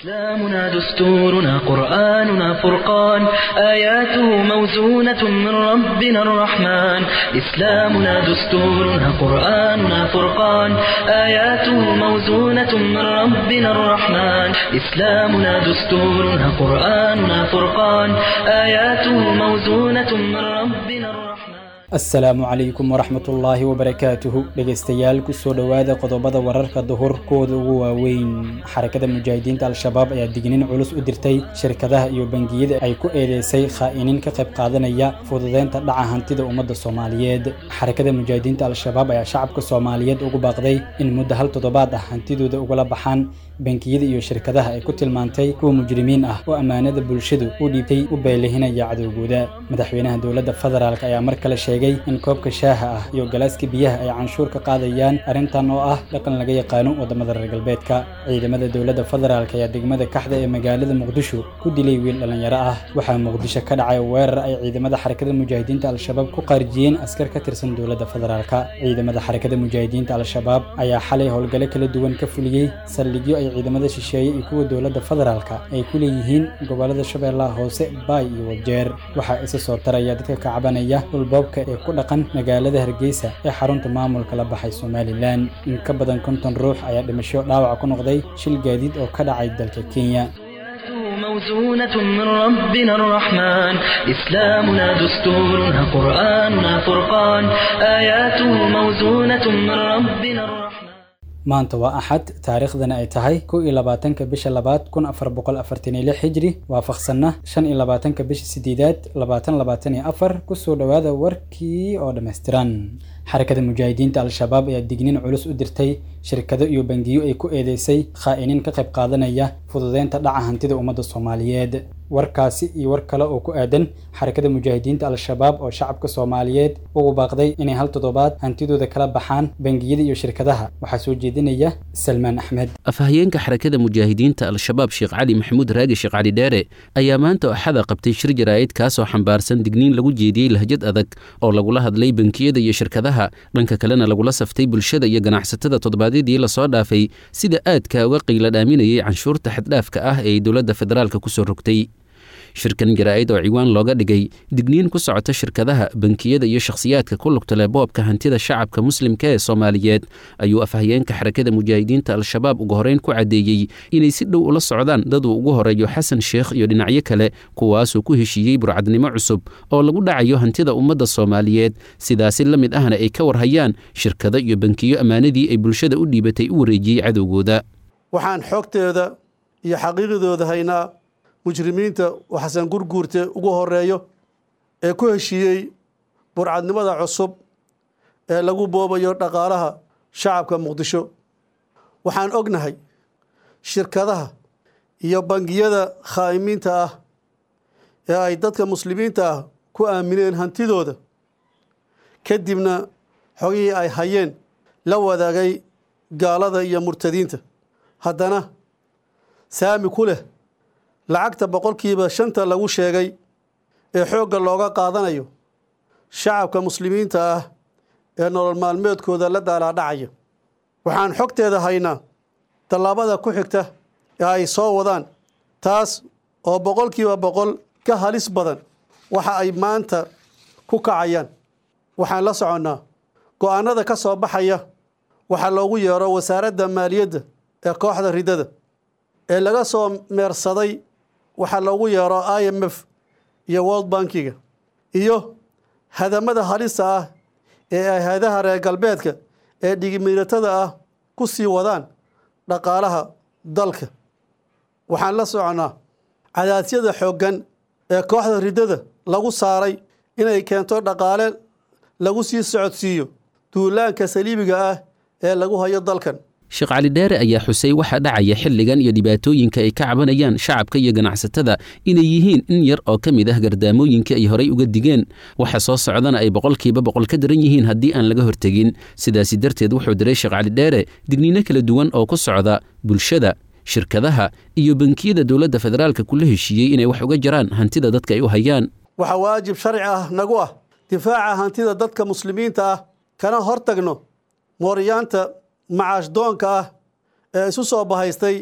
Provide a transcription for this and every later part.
إسلامنا دستورنا قرآننا فرقان آياته موزونة من ربنا الرحمن إسلامنا دستورنا قرآننا فرقان آياته موزونة من ربنا الرحمن إسلامنا دستورنا قرآننا فرقان آياته موزونة من ربنا الرحمن. Asalaamu calaykum waraxmatullaahi wabarakaatuhu. Dhegaystayaal, kusoo dhowaada qodobada wararka duhur kuwooda ugu waaweyn. Xarakada Mujaahidiinta Al-Shabaab ayaa digniin culus u dirtay shirkadaha iyo bangiyada ay ku eedeysay khaa'iniin ka qayb qaadanaya fududeynta dhaca hantida ummadda Soomaaliyeed. Xarakada Mujaahidiinta Al-Shabaab ayaa shacabka Soomaaliyeed ugu baaqday in muddo hal toddobaad ah hantidooda ugala baxaan bangiyada iyo shirkadaha ay ku tilmaantay kuwa mujrimiin ah oo ammaanada bulshadu u dhiibtay u beelihinaya cadowgooda. Madaxweynaha dowladda federaalk ayaa mar kale sheegay in koobka shaaha ah iyo galaaska biyaha ay canshuur ka qaadayaan, arrintan oo ah dhaqan laga yaqaano waddamada reer galbeedka. Ciidamada dowladda federaalk ayaa degmada Kaxda ee magaalada Muqdisho ku dilay wiil dhallinyaro ah. Waxaa Muqdisho ka dhacay weerar ay ciidamada Xarakada Mujaahidiinta Al-Shabaab ku qaarijiyeen askar ka tirsan dowladda federaalk. Ciidamada Xarakada Mujaahidiinta Al-Shabaab ayaa xalay howlgalo kala duwan ka fuliyey saldhigyo ay ciidamada shisheeye iyo kuwa dowladda federaalka ay ku leeyihiin gobollada Shabeellaha Hoose, Baay iyo Wajeer. Waxaa isa soo taraya dadka ka cabanaya dhulboobka ee ku dhaqan magaalada Hargeysa ee xarunta maamulka la baxay Somalilan. In ka badan 50 ruux ayaa dhimasho dhaawac ku noqday shil gaadiid oo ka dhacay dalka Kenya. موزونة من ربنا الرحمن إسلامنا دستورنا قرآننا فرقان آياته موزونة من ربنا الرحمن. Maanta waa Axad, taariikhdana ay tahay 21-ka bisha labaad 1446 hijri, waafaqsanna 25-ka bisha sideedaad 2024. Kusoo dhowaada warkii oo dhammaystiran. Xarakada Mujaahidiinta Al-Shabaab ayaa digniin culus u dirtay shirkado iyo bangiyo ay ku eedeysay khaa'iniin ka qayb qaadanaya fududeynta dhaca hantida ummadda Soomaaliyeed. Warkaasi iyo war kale oo ku aadan Xarakada Mujaahidiinta Al-Shabaab oo shacabka Soomaaliyeed ugu baaqday inay hal toddobaad hantidooda kala baxaan bangiyada iyo shirkadaha, waxaa soo jeedinaya Salmaan Axmed. Afhayeenka Xarakada Mujaahidiinta Al-Shabaab, Sheekh Cali Maxamuud Raagi Sheekh Cali Dheere, ayaa maanta Axada qabtay shir jaraa'id kaasoo xambaarsan digniin lagu jeediyey lahjad adag oo lagula hadlay bangiyada iyo shirkadaha, dhanka kalena lagula saftay bulshada iyo ganacsatada toddobaadyadii lasoo dhaafay sida aadka uga qiila dhaaminayay canshuurta xaddhaafka ah ee dowladda federaalka kusoo rogtay. Shirkan jaraa'id oo ciwaan looga dhigay digniin ku socota shirkadaha, bankiyada iyo shakhsiyaadka ku lugta leh boobka hantida shacabka muslimka ee Soomaaliyeed, ayuu afhayeenka Xarakada Mujaahidiinta Al-Shabaab ugu horeyn ku caddeeyey inay si dhow ula socdaan dad uu ugu horeeyo Xasan Sheekh iyo dhinacyo kale, kuwaasuu ku heshiiyey burcadnimo cusub oo lagu dhacayo hantida ummadda Soomaaliyeed, sidaasi la mid ahna ay ka warhayaan shirkado iyo bankiyo ammaanadii ay bulshada u dhiibatay u wareejiyey cadowgooda. Waxaan xogteeda iyo xaqiiqdooda haynaa mujrimiinta oo Xasan Gurguurte ugu horeeyo ee ku heshiiyey burcadnimada cusub ee lagu boobayo dhaqaalaha shacabka Muqdisho. Waxaan ognahay shirkadaha iyo bangiyada khaa'imiinta ah ee ay dadka muslimiinta ah ku aamineen hantidooda, kadibna xogihii ay hayeen la wadaagay gaalada iyo murtadiinta, haddana saami ku leh lacagta 5% lagu sheegay ee xoogga looga qaadanayo shacabka muslimiinta ah ee nolol maalmeedkooda la daalaadhacaya. Waxaan xogteeda haynaa tallaabada ku xigta ee ay soo wadaan, taas oo 100% ka halis badan waxa ay maanta ku kacayaan. Waxaan la soconnaa go'aanada ka soo baxaya waxaa loogu yeero wasaaradda maaliyadda ee kooxda riddada ee laga soo meersaday waxaa loogu yeero IMF iyo World Bankiga, iyo hadamada halista ah ee ay hay-adaha reer galbeedka ee dhigimiiratada ah ku sii wadaan dhaqaalaha dalka. Waxaan la soconnaa cadaasyada xooggan ee kooxda riddada lagu saaray inay keento dhaqaale lagu sii socodsiiyo duulaanka saliibiga ah ee lagu hayo dalkan. Sheekh Cali Dheere ayaa xusay waxa dhacaya xilligan iyo dhibaatooyinka ay ka cabanayaan shacabka iyo ganacsatada inay yihiin in yar oo ka mid ah gardaamooyinka ay horay uga digeen, waxa soo socdana ay 100% ka daran yihiin haddii aan laga hortegin. Sidaasi darteed wuxuu diray Sheekh Cali Dheere digniino kala duwan oo ku socda bulshada, shirkadaha iyo bankiyada dowladda federaalka kula heshiiyey inay wax uga jaraan hantida dadka ay u hayaan. Waxaa waajib sharci ah nagu ah difaaca hantida dadka muslimiinta ah, kana hortagno mooryaanta macaash doonka ah ee isu soo bahaystay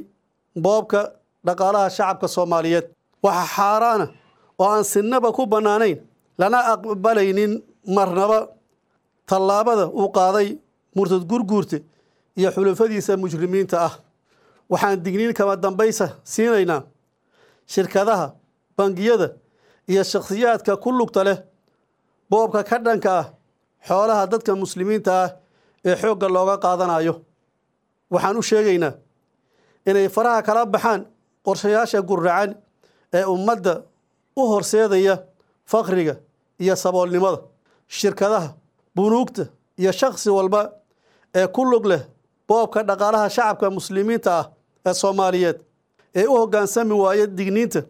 boobka Dhaqaalaha shacabka Soomaaliyeed waxaa xaaraana oo aan sinaba ku bannaanayn, lana aqbalaynin marnaba, tallaabada uu qaaday murtad Gurguurte iyo xulufadiisa mujrimiinta ah. Waxaan digniin kama dambaysa siinaynaa shirkadaha, bangiyada iyo shakhsiyaadka ku lugta leh boobka ka dhanka ah xoolaha dadka muslimiinta ah ee xoogga looga qaadanayo. Waxaan u sheegaynaa inay faraha kala baxaan qorshayaasha guracan ee ummadda u horseedaya faqriga iyo saboolnimada. Shirkadaha, bunuugta iyo shakhsi walba ee ku lug leh boobka dhaqaalaha shacabka muslimiinta ah ee Soomaaliyeed ee u hoggaansami waaya digniinta,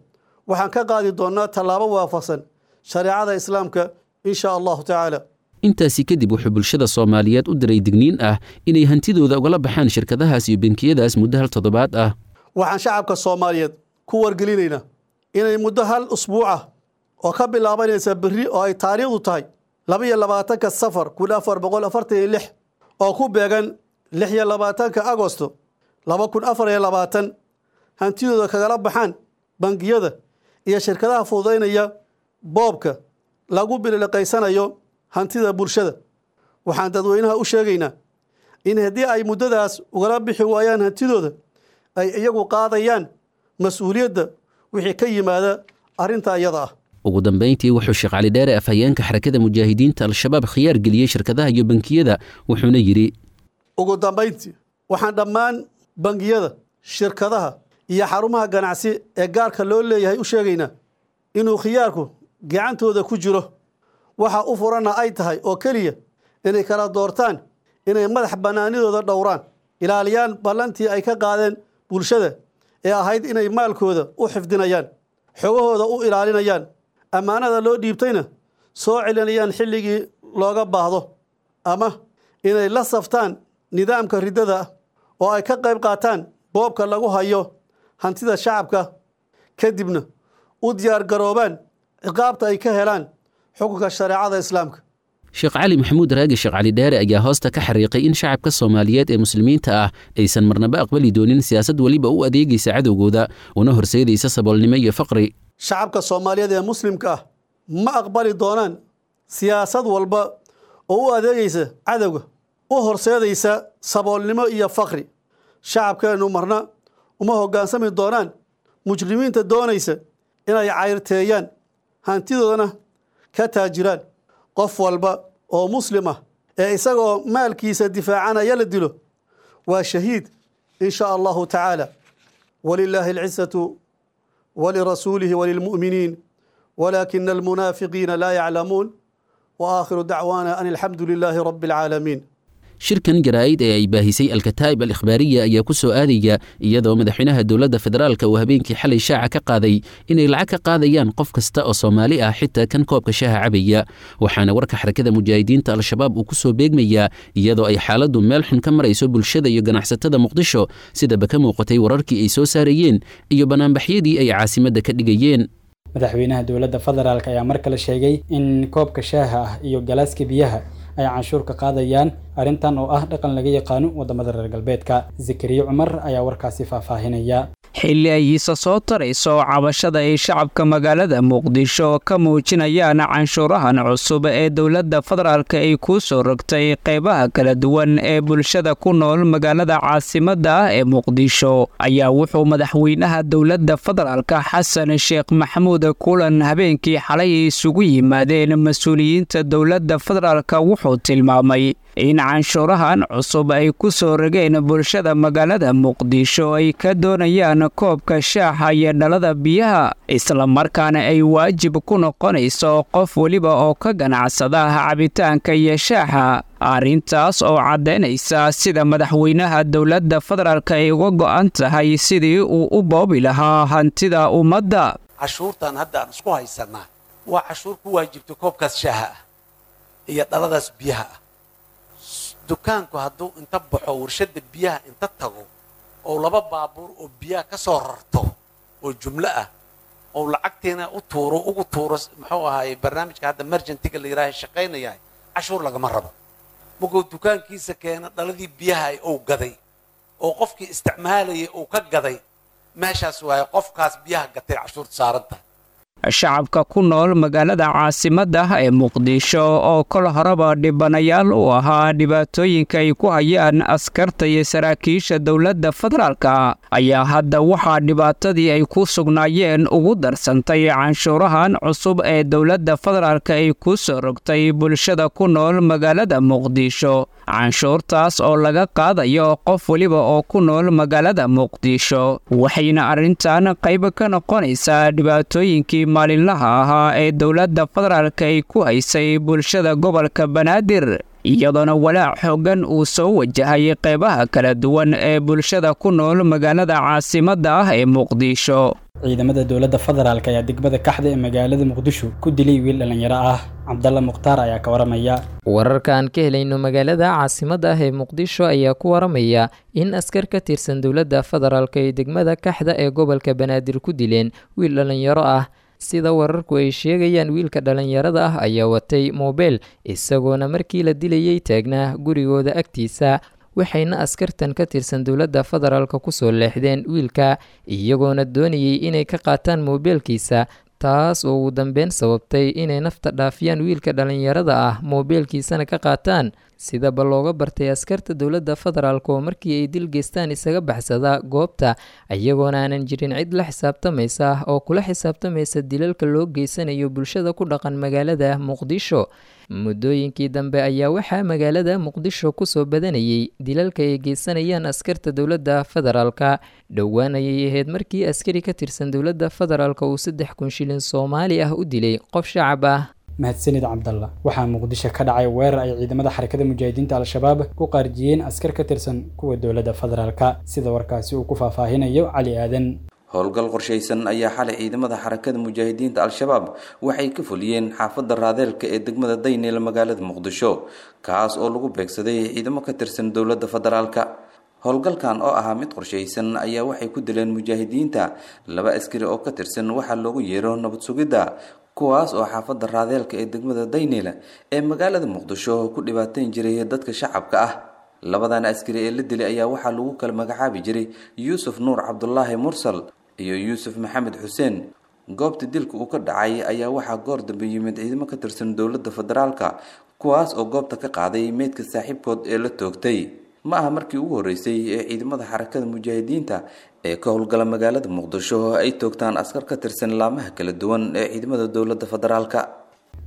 waxaan ka qaadi doonnaa tallaabo waafaqsan shareecada Islaamka, in shaa Allahu tacaala. Intaasi kadib wuxuu bulshada Soomaaliyeed u diray digniin ah inay hantidooda ugala baxaan shirkadahaas iyo bankiyadaas muddo hal toddobaad ah. Waxaan shacabka Soomaaliyeed ku wargelinaynaa inay muddo hal usbuuc ah oo ka bilaabanaysa berri, oo ay taariikhdu tahay 22-ka Safar 1446, oo ku beegan 26-ka Agosto 2024, hantidooda kagala baxaan bangiyada iyo shirkadaha fududaynaya boobka lagu bililiqaysanayo hantida bulshada. Waxaan dadweynaha u sheegaynaa in haddii ay muddadaas ugala bixi waayaan hantidooda, ay iyagu qaadayaan mas-uuliyadda wixii ka yimaada arrinta iyada ah. Ugu dambayntii wuxuu Sheekh Cali Dheere, afhayeenka Xarakada Mujaahidiinta Al-Shabaab, khiyaar geliyey shirkadaha iyo bankiyada, wuxuuna yidhi: Ugu dambayntii, waxaan dhammaan bangiyada, shirkadaha iyo xarumaha ganacsi ee gaarka loo leeyahay u sheegaynaa inuu khiyaarku gacantooda ku jiro, waxa u furanna ay tahay oo keliya inay kala doortaan inay madax bannaanidooda dhowraan, ilaaliyaan ballantii ay ka qaadeen bulshada ee ahayd inay maalkooda u xifdinayaan, xogahooda u ilaalinayaan, ammaanada loo dhiibtayna soo celinayaan xilligii looga baahdo, ama inay la saftaan nidaamka riddada oo ay ka qayb qaataan boobka lagu hayo hantida shacabka, kadibna u diyaar garoobaan ciqaabta ay ka helaan xukunka shareecada Islaamka. Sheekh Cali Maxamuud Raagi, Sheekh Cali Dheere, ayaa hoosta ka xariiqay in shacabka Soomaaliyeed ee muslimiinta ah aysan marnaba aqbali doonin siyaasad weliba u adeegaysa cadowgooda una horseedaysa saboolnimo iyo faqri. Shacabka Soomaaliyeed ee muslimka ah ma aqbali doonaan siyaasad walba oo u adeegaysa cadowga, u horseedaysa saboolnimo iyo faqri. Shacabkeennu marna uma hoggaansami doonaan mujrimiinta doonaysa inay cayrteeyaan, hantidoodana ka taajiraan. Qof walba oo muslim ah ee isagoo maalkiisa difaacanaya la dilo waa shahiid, in shaa Allahu tacaala. Walilaahi alcizatu walirasuulihi walilmu'miniin, walaakina almunaafiqiina laa yaclamuun. Wa aakhiru dacwaana an alxamdu lilaahi rabbi alcaalamiin. Shirkan jaraa'id ee ay baahisay Alkataa'ib Al-Ikhbaariya ayaa ku soo aadaya iyadoo madaxweynaha dowladda federaalka uu habeenkii xalay shaaca ka qaaday inay lacag ka qaadayaan qof kasta oo Soomaali ah, xitaa kan koobka shaaha cabaya. Waxaana warka Xarakada Mujaahidiinta Al-Shabaab uu ku soo beegmayaa iyadoo ay xaaladdu meel xun ka marayso bulshada iyo ganacsatada Muqdisho, sidaba ka muuqatay wararkii ay soo saarayeen iyo banaanbaxyadii ay caasimadda ka dhigayeen. Madaxweynaha dowladda federaalk ayaa mar kale sheegay in koobka shaaha ah iyo galaaska biyaha ay canshuur ka qaadayaan, arrintan oo ah dhaqan laga yaqaano waddamada reer galbeedka. Zakariye Cumar ayaa warkaasi faahfaahinaya. Xilli ay iisa soo tarayso cabashada ay shacabka magaalada Muqdisho ka muujinayaan canshuurahan cusub ee dowladda federaalka ay ku soo rogtay qeybaha kala duwan ee bulshada ku nool magaalada caasimadda ah ee Muqdisho, ayaa wuxuu madaxweynaha dowladda federaalka Xasan Sheekh Maxamuud kulan habeenkii xalay isugu yimaadeen mas-uuliyiinta dowladda federaalka wuxuu tilmaamay in canshuurahan cusub ay ku soo rogeen bulshada magaalada Muqdisho ay ka doonayaan koobka shaaxa iyo dhalada biyaha, islamarkaana ay waajib ku noqonayso qof weliba oo ka ganacsada cabitaanka iyo shaaxa, arrintaas oo caddaynaysa sida madaxweynaha dowladda federaalka ay uga go'an tahay sidii uu u boobi lahaa hantida ummadda. Cashuurtan hadda aan isku haysanaa waa cashuur ku waajibtay koobkaas shaaha ah iyo dhaladaas biyaha ah. Dukaanku hadduu inta baxo warshadda biyaha inta tago oo laba baabuur oo biyaha ka soo rarto oo jumlo ah oo lacagtiina u tuuro, ugu tuuro, muxuu ahaayey, barnaamijka hadda merjantiga la yidhaaha shaqaynayahay, cashuur lagama rabo. Markuu dukaankiisa keeno dhaladii biyaha uu gaday oo qofkii isticmaalayay uu ka gaday, Meeshaas waaye qofkaas biyaha gatay cashuurta saaran tahay. Shacabka ku nool magaalada caasimadda ee Muqdisho oo kol horeba dhibanayaal u ahaa dhibaatooyinka ay ku hayaan askarta iyo saraakiisha dowladda federaalka ayaa hadda waxaa dhibaatadii ay ku sugnaayeen ugu darsantay canshuurahan cusub ee dowladda federaalka ay ku soo rogtay bulshada ku nool magaalada Muqdisho, canshuurtaas oo laga qaadayo qof weliba oo ku nool magaalada Muqdisho. Waxayna arrintan qayb ka noqonaysaa dhibaatooyinkii maalinlaha ahaa ee dowladda federaalka ay ku haysay bulshada gobolka Banaadir, iyadoona walaac xooggan uu soo wajahay qaybaha kala duwan ee bulshada ku nool magaalada caasimadda ah ee Muqdisho. Ciidamada dowladda federaalk ayaa degmada Kaxda ee magaalada Muqdisho ku dilay wiil dhallinyaro ah. Cabdalla Mukhtaar ayaa ka waramaya. Wararka aan ka helayno magaalada caasimadda ah ee Muqdisho ayaa ku waramaya in askar ka tirsan dowladda federaalk ay degmada Kaxda ee gobolka Banaadir ku dileen wiil dhallinyaro ah. Sida wararku ay sheegayaan, wiilka dhallinyarada ah ayaa watay moobeel, isagoona markii la dilayay taagnaa gurigooda agtiisa, waxayna askartan ka tirsan dowladda federaalka kusoo leexdeen wiilka, iyagoona doonayay inay ka qaataan moobeelkiisa, taas oo ugu dambeyn sababtay inay nafta dhaafiyaan wiilka dhallinyarada ah, moobeelkiisana ka qaataan. Sidaba looga bartay askarta dowladda federaalk oo markii ay dil geystaan isaga baxsada goobta, iyagoona aanan jirin cid la xisaabtamaysa oo kula xisaabtamaysa dilalka loo geysanayo bulshada ku dhaqan magaalada Muqdisho. Muddooyinkii dambe ayaa waxaa magaalada Muqdisho kusoo badanayay dilalka ay geysanayaan askarta dowladda federaalka. Dhowaan ayay ahayd markii askari ka tirsan dowladda federaalka uu 3000 shilin Soomaali ah u dilay qof shacab ah. Mahadsanid Cabdalla. Waxaa Muqdisho ka dhacay weerar ay ciidamada Xarakada Mujaahidiinta Al-Shabaab ku qaarjiyeen askar ka tirsan kuwa dowladda federaalka, sida warkaasi uu ku faahfaahinayo Cali Aadan. Howlgal qorshaysan ayaa xalay ciidamada Xarakada Mujaahidiinta Al-Shabaab waxay ka fuliyeen xaafadda Raadeelka ee degmada Dayneel magaalada Muqdisho, kaas oo lagu beegsaday ciidamo ka tirsan dowladda federaalka. Howlgalkan oo ahaa mid qorshaysan ayaa waxay ku dileen mujaahidiinta 2 askari oo ka tirsan waxaa loogu yeero nabad sugidda, kuwaas oo xaafadda Raadeelka ee degmada Dayneel ee magaalada Muqdisho ku dhibaateyn jiray dadka shacabka ah. Labadan askari ee la dilay ayaa waxaa lagu kala magacaabi jiray Yuusuf Nuur Cabdulaahi Mursal iyo Yuusuf Maxamed Xuseen. Goobta dilka uu ka dhacay ayaa waxaa goor dambe yimid ciidamo ka tirsan dowladda federaalka, kuwaas oo goobta ka qaaday meydka saaxiibkood ee la toogtay. Ma aha markii ugu horreysay ee ciidamada Xarakada Mujaahidiinta ee ka howlgala magaalada Muqdisho ay toogtaan askar ka tirsan laamaha kala duwan ee ciidamada dowladda federaalka.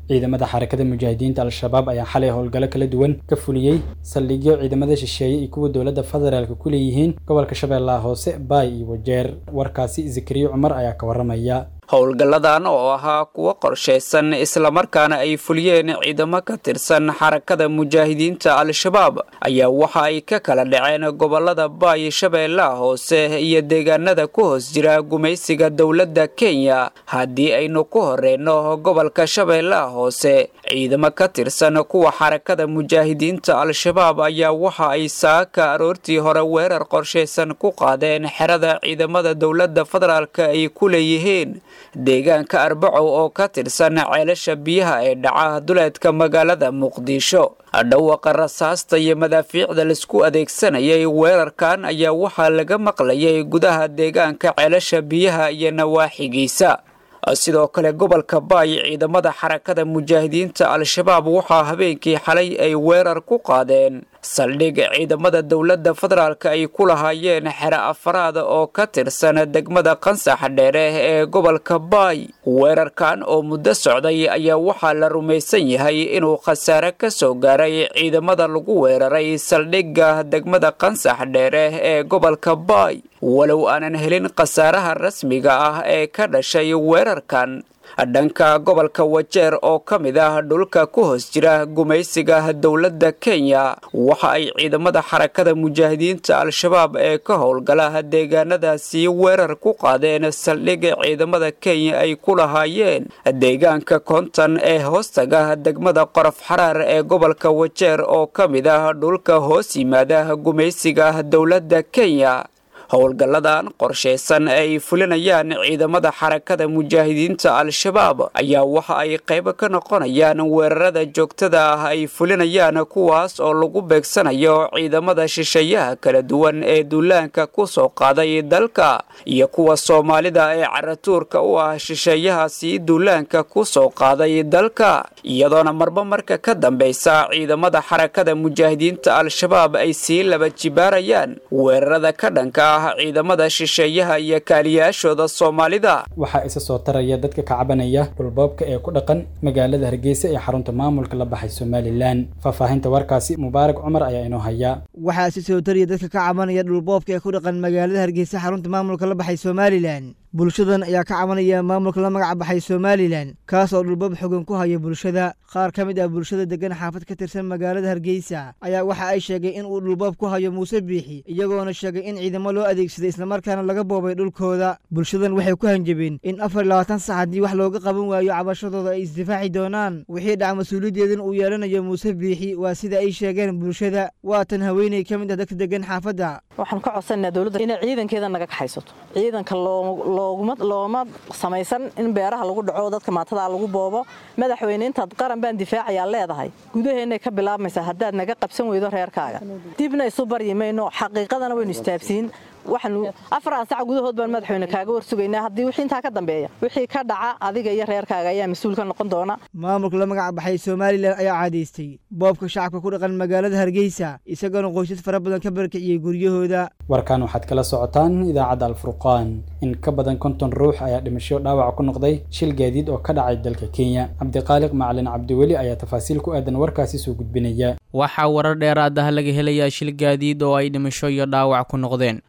Ciidamada Xarakada Mujaahidiinta Al-Shabaab ayaa xalay howlgallo kala duwan ka fuliyey saldhigyo ciidamada shisheeye iyo kuwa dowladda federaalka ku leeyihiin gobolka Shabeellaha Hoose, Baay iyo Wajeer. Warkaasi Zakariya Cumar ayaa ka waramaya. Howlgalladan oo ahaa kuwo qorshaysan islamarkaana ay fuliyeen ciidamo ka tirsan Xarakada Mujaahidiinta Al-Shabaab ayaa waxa ay ka kala dhaceen gobolada Baay, Shabeellaha Hoose iyo deegaanada ku hoos jira gumaysiga dowladda Kenya. Haddii aynu ku horeyno gobolka Shabeellaha Hoose, ciidamo ka tirsan kuwa Xarakada Mujaahidiinta Al-Shabaab ayaa waxa ay saaka aroortii hore weerar qorshaysan ku qaadeen xerada ciidamada dowladda federaalka ay ku leeyihiin deegaanka Arbacow oo ka tirsan ceelasha biyaha ee dhaca duleedka magaalada Muqdisho. Dhawaqa rasaasta iyo madaafiicda laisku adeegsanayay weerarkan ayaa waxaa laga maqlayay gudaha deegaanka ceelasha biyaha iyo nawaaxigiisa. Sidoo kale gobolka Baay, ciidamada Xarakada Mujaahidiinta Al-Shabaab waxaa habeenkii xalay ay weerar ku qaadeen saldhig ciidamada dowladda federaalka ay ku lahaayeen xero afaraad oo ka tirsan degmada Qansax Dheere ee gobolka Baay. Weerarkan oo muddo socday ayaa waxaa la rumaysan yahay inuu khasaare ka soo gaaray ciidamada lagu weeraray saldhigga degmada Qansax Dheere ee gobolka Baay, walow aanan helin khasaaraha rasmiga ah ee ka dhashay weerarkan. Dhanka gobolka Wajeer oo ka mid ah dhulka ku hoos jira gumaysiga dowladda Kenya, waxa ay ciidamada Xarakada Mujaahidiinta Al-Shabaab ee ka howlgala deegaanadaasi weerar ku qaadeen saldhig ciidamada Kenya ay ku lahaayeen deegaanka Konton ee hoostaga degmada Qorof Xaraar ee gobolka Wajeer oo ka mid ah dhulka hoos yimaada gumaysiga dowladda Kenya. Howlgalladan qorshaysan ee ay fulinayaan ciidamada Xarakada Mujaahidiinta Al-Shabaab ayaa waxa ay qayb ka noqonayaan weerarada joogtada ah ay fulinayaan, kuwaas oo lagu beegsanayo ciidamada shisheeyaha kala duwan ee duulaanka ku soo qaaday dalka iyo kuwa Soomaalida ee caratuurka u ah shisheeyahaasi duulaanka ku soo qaaday dalka, iyadoona marba marka ka dambeysa ciidamada Xarakada Mujaahidiinta Al-Shabaab ay sii laba jibaarayaan weerarada ka dhanka ah ciidamada shisheeyaha iyo kaaliyaashooda Soomaalida. Waxaa isa soo taraya dadka ka cabanaya dhulboobka ee ku dhaqan magaalada Hargeysa ee xarunta maamulka la baxay Somaliland. Faahfaahinta warkaasi Mubaarak Cumar ayaa inoo haya. Waxaa isa soo taraya dadka ka cabanaya dhulboobka ee ku dhaqan magaalada Hargeysa xarunta maamulka la baxay Somaliland. Bulshadan ayaa ka cabanaya maamulka la magac baxay Somaliland, kaas oo dhulboob xogan ku haya bulshada. Qaar ka mid ah bulshada degan xaafad ka tirsan magaalada Hargeysa ayaa waxa ay sheegay in uu dhulboob ku hayo Muuse Biixi, iyagoona sheegay in ciidamo loo adeegsaday islamarkaana laga boobay dhulkooda. Bulshadan waxay ku hanjabeen in 24 saac haddii wax looga qaban waayo cabashadooda ay isdifaaci doonaan, wixii dhaca mas-uuliyaddeedan uu yeelanayo Muuse Biixi, waa sida ay sheegeen bulshada. Waa tan haweeney ka mid ah dadka degan xaafadda. Waxaan ka codsanaynaa dowladda inay ciidankeeda naga kaxaysato. Ciidanka looma samaysan in beeraha lagu dhaco, dadka maatada lagu boobo. Madaxweyne, intaad qaran baan difaacayaa leedahay, gudaheennay ka bilaabmaysaa. Haddaad naga qabsan weydo reerkaaga, dibna isu baryi mayno, xaqiiqadana waynu istaabsiin. Waxaanu 4 sac gudahood baan madaxweyne kaaga warsugaynaa. Haddii wixii intaa ka dambeeya wixii ka dhaca, adiga iyo reerkaaga ayaa mas-uul ka noqon doona. Maamulka la magac baxay Somaliland ayaa caadaystay boobka shacabka ku dhaqan magaalada Hargeysa, isagoona qoysas fara badan ka barakiciyey guryahooda. Warkan waxaad kala socotaan idaacadda Alfurqaan. In ka badan 50 ruux ayaa dhimasho dhaawac ku noqday shil gaadiid oo ka dhacay dalka Kenya. Cabdiqaaliq Macalin Cabdiweli ayaa tafaasiil ku aadan warkaasi soo gudbinaya. Waxaa warar dheeraad ah laga helayaa shil gaadiid oo ay dhimasho iyo dhaawac ku noqdeen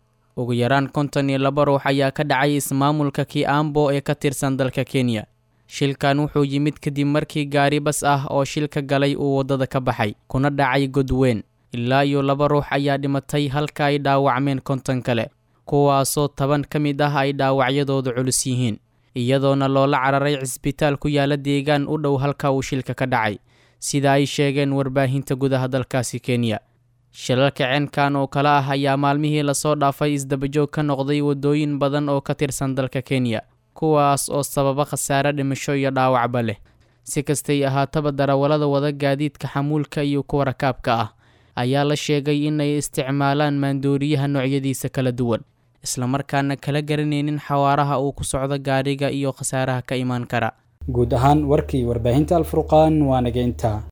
ugu yaraan 52 ruux ayaa ka dhacay ismaamulka Kiambo ee ka tirsan dalka Kenya. Shilkan wuxuu yimid kadib markii gaari bas ah oo shilka galay uu waddada ka baxay kuna dhacay god weyn. Ilaa iyo 2 ruux ayaa dhimatay halka ay dhaawacmeen 50 kale, kuwaasoo 10 ka mid ah ay dhaawacyadoodu culus yihiin, iyadoona loola cararay cisbitaal ku yaala deegaan u dhow halka uu shilka ka dhacay, sida ay sheegeen warbaahinta gudaha dalkaasi Kenya. Shilalka ceenkan oo kale ah ayaa maalmihii lasoo dhaafay isdabajoog ka noqday waddooyin badan oo ka tirsan dalka Kenya, kuwaas oo sababa khasaare dhimasho iyo dhaawacba leh. Si kastay ahaataba, darawallada wada gaadiidka xamuulka iyo kuwa rakaabka ah ayaa la sheegay inay isticmaalaan maandooriyaha noocyadiisa kala duwan, islamarkaana kala garanaynin xawaaraha uu ku socdo gaariga iyo khasaaraha ka imaan kara. Guud ahaan warkii warbaahinta Alfurqaan waa naga intaa.